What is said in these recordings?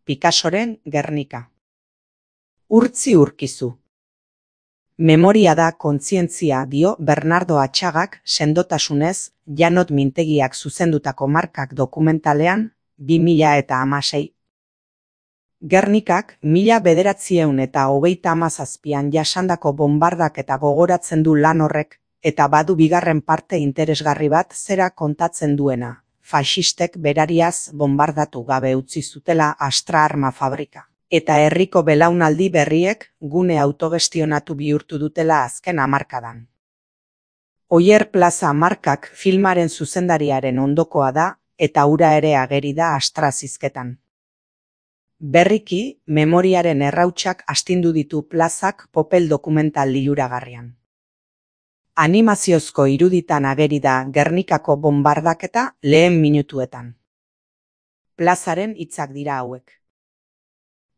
Picassoren Gernika. Urtzi urkizu. Memoria da kontzientzia dio Bernardo Atxagak sendotasunez Janot Mintegiak zuzendutako Markak dokumentalean 2016. Gernikak 1937an jasandako bombardak eta gogoratzen du lan horrek, eta badu bigarren parte interesgarri bat zera kontatzen duena. Faxistek berariaz bombardatu gabe utzi zutela Astra arma fabrika. Eta herriko belaunaldi berriek gune autogestionatu bihurtu dutela azken hamarkadan. Oier Plaza Markak filmaren zuzendariaren ondokoa da, eta hura ere ageri da Astra zizketan. Berriki, memoriaren errautsak astindu ditu Plazak Popel dokumental liluragarrian. Animaziozko iruditan ageri da Gernikako bombardaketa lehen minutuetan. Plazaren hitzak dira hauek.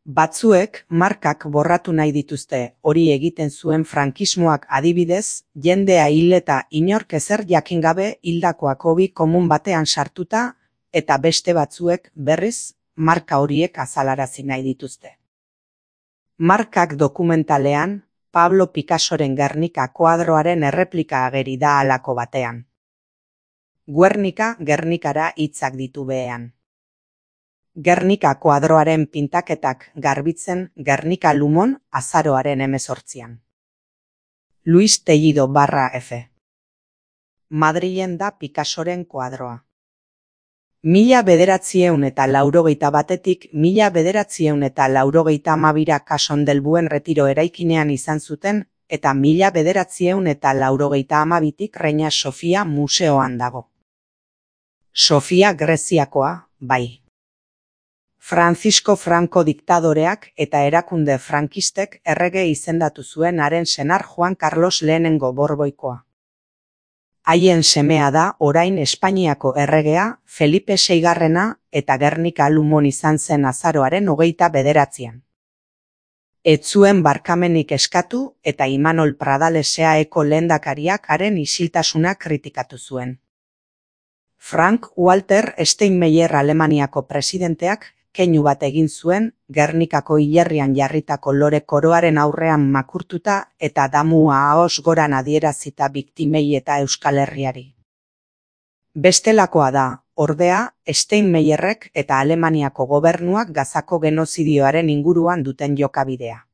Batzuek Markak borratu nahi dituzte, hori egiten zuen frankismoak adibidez, jendea hil eta inork ezer jakin gabe hildakoak hobi komun batean sartuta, eta beste batzuek berriz marka horiek azalarazi nahi dituzte. Markak dokumentalean, Pablo Picassoren Gernika koadroaren erreplika ageri da halako batean. Guernica Gernikara hitzak ditu behean. Gernika koadroaren pintaketak garbitzen Gernika Lumon azaroaren 18an. Luis Tellido /F. Madrilen da Picassoren koadroa. 1981etik 1982 Kasondelbuen Retiro eraikinean izan zuten, eta 1982tik Reina Sofia museoan dago. Sofia Greziakoa, bai. Francisco Franco diktadoreak eta erakunde frankistek errege izendatu zuen haren senar Juan Carlos lehenengo Borboikoa. Haien semea da orain Espainiako erregea Felipe Seigarrena eta Gernika Lumon izan zen azaroaren 29an. Ez zuen barkamenik eskatu eta Imanol Pradales SEAEko lehendakariak haren isiltasuna kritikatu zuen. Frank Walter Steinmeier Alemaniako presidenteak keinu bat egin zuen Gernikako hilerrian jarritako lore koroaren aurrean makurtuta eta damua ahos goran adierazita biktimei eta Euskal Herriari. Bestelakoa da, ordea, Steinmeierrek eta Alemaniako gobernuak Gazako genozidioaren inguruan duten jokabidea.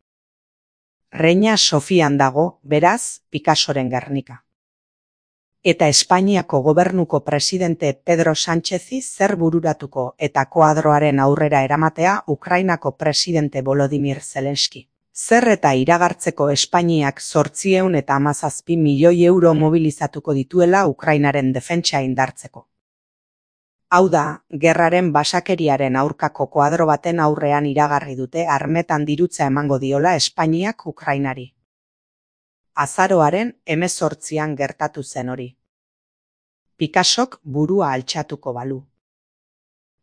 Reina Sofian dago, beraz, Picassoren Gernika. Eta Espainiako gobernuko presidente Pedro Sánchezi zer bururatuko eta koadroaren aurrera eramatea Ukrainako presidente Volodymyr Zelenski. Zer eta iragartzeko Espainiak 817 milioi euro mobilizatuko dituela Ukrainaren defentsa indartzeko. Hau da, gerraren basakeriaren aurkako koadro baten aurrean iragarri dute armetan dirutza emango diola Espainiak Ukrainari. Azaroaren 18an gertatu zen hori. Picassok burua altxatuko balu.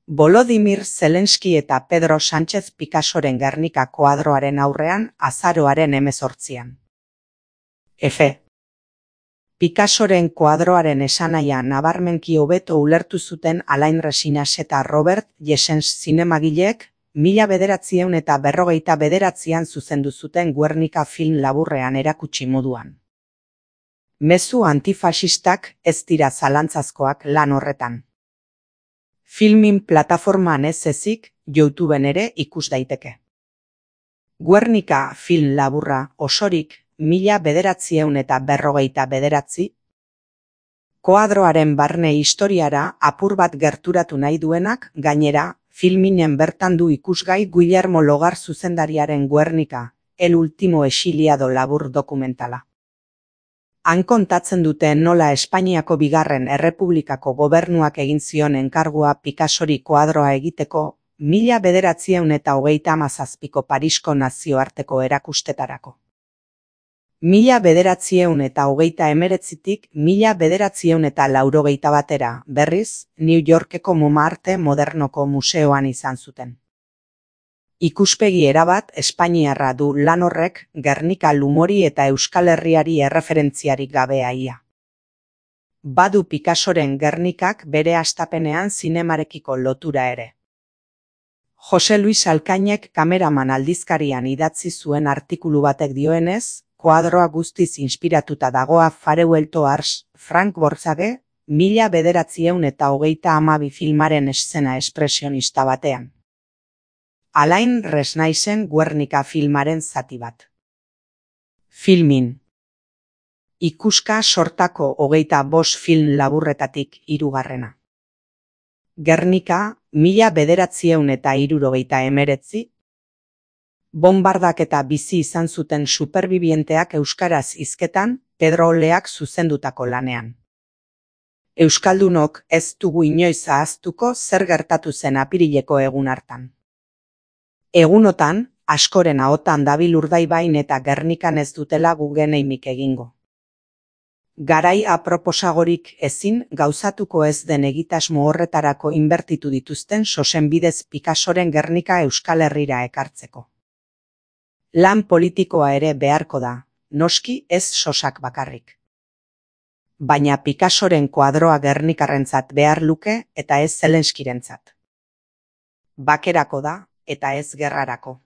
Volodymyr Zelenski eta Pedro Sánchez Picassoren Gernika koadroaren aurrean azaroaren 18an. F. Picassoren koadroaren esanahia nabarmenki hobeto ulertu zuten Alain Resines eta Robert Jessens zinemagileek 1959an zuzendu zuten Guernica film laburrean erakutsi moduan. Mezu antifasistak ez dira zalantzazkoak lan horretan. Filmin plataformaan ez ezik, YouTubeen ere ikus daiteke. Guernica film laburra osorik 1959. Koadroaren barne historiara apur bat gerturatu nahi duenak, gainera, filminen bertan du ikusgai Guillermo Logar zuzendariaren Guernica, El último exiliado labur dokumentala. Han kontatzen dute nola Espainiako bigarren errepublikako gobernuak egin zion enkargua Picassori koadroa egiteko 1937ko Parisko nazioarteko erakustetarako. 1939tik 1981 berriz, New Yorkeko Montmartre Modernoko museoan izan zuten. Ikuspegi erabat espainiarra du lan horrek Gernika Lumori eta Euskal Herriari erreferentziarik gabe ia. Badu Picassoren Gernikak bere hastapenean zinemarekiko lotura ere. Jose Luis Alkainek Kameraman aldizkarian idatzi zuen artikulu batek dioenez, koadroa guztiz inspiratuta dagoa Farewell Ars, Frank Borzage, 1932 filmaren eszena espresionista batean. Alain Resnaisen Guernica filmaren zati bat. Filmin. Ikuska sortako 25 film laburretatik 3. Guernica, 1979. Bonbardaketa bizi izan zuten superbibienteak euskaraz hizketan Pedro Oleak zuzendutako lanean. Euskaldunok ez dugu inoiz ahaztuko zer gertatu zen apirileko egun hartan. Egunotan, askoren ahotan dabil Urdaibain eta Gernikan ez dutela gugeneimik egingo. Garai aproposagorik ezin gauzatuko ez den egitasmo horretarako inbertitu dituzten sosenbidez Picassoren Gernika Euskal Herrira ekartzeko. Lan politikoa ere beharko da, noski ez sosak bakarrik. Baina Picassoren koadroa Gernikarrentzat behar luke eta ez Zelenskirentzat. Bakerako da eta ez gerrarako.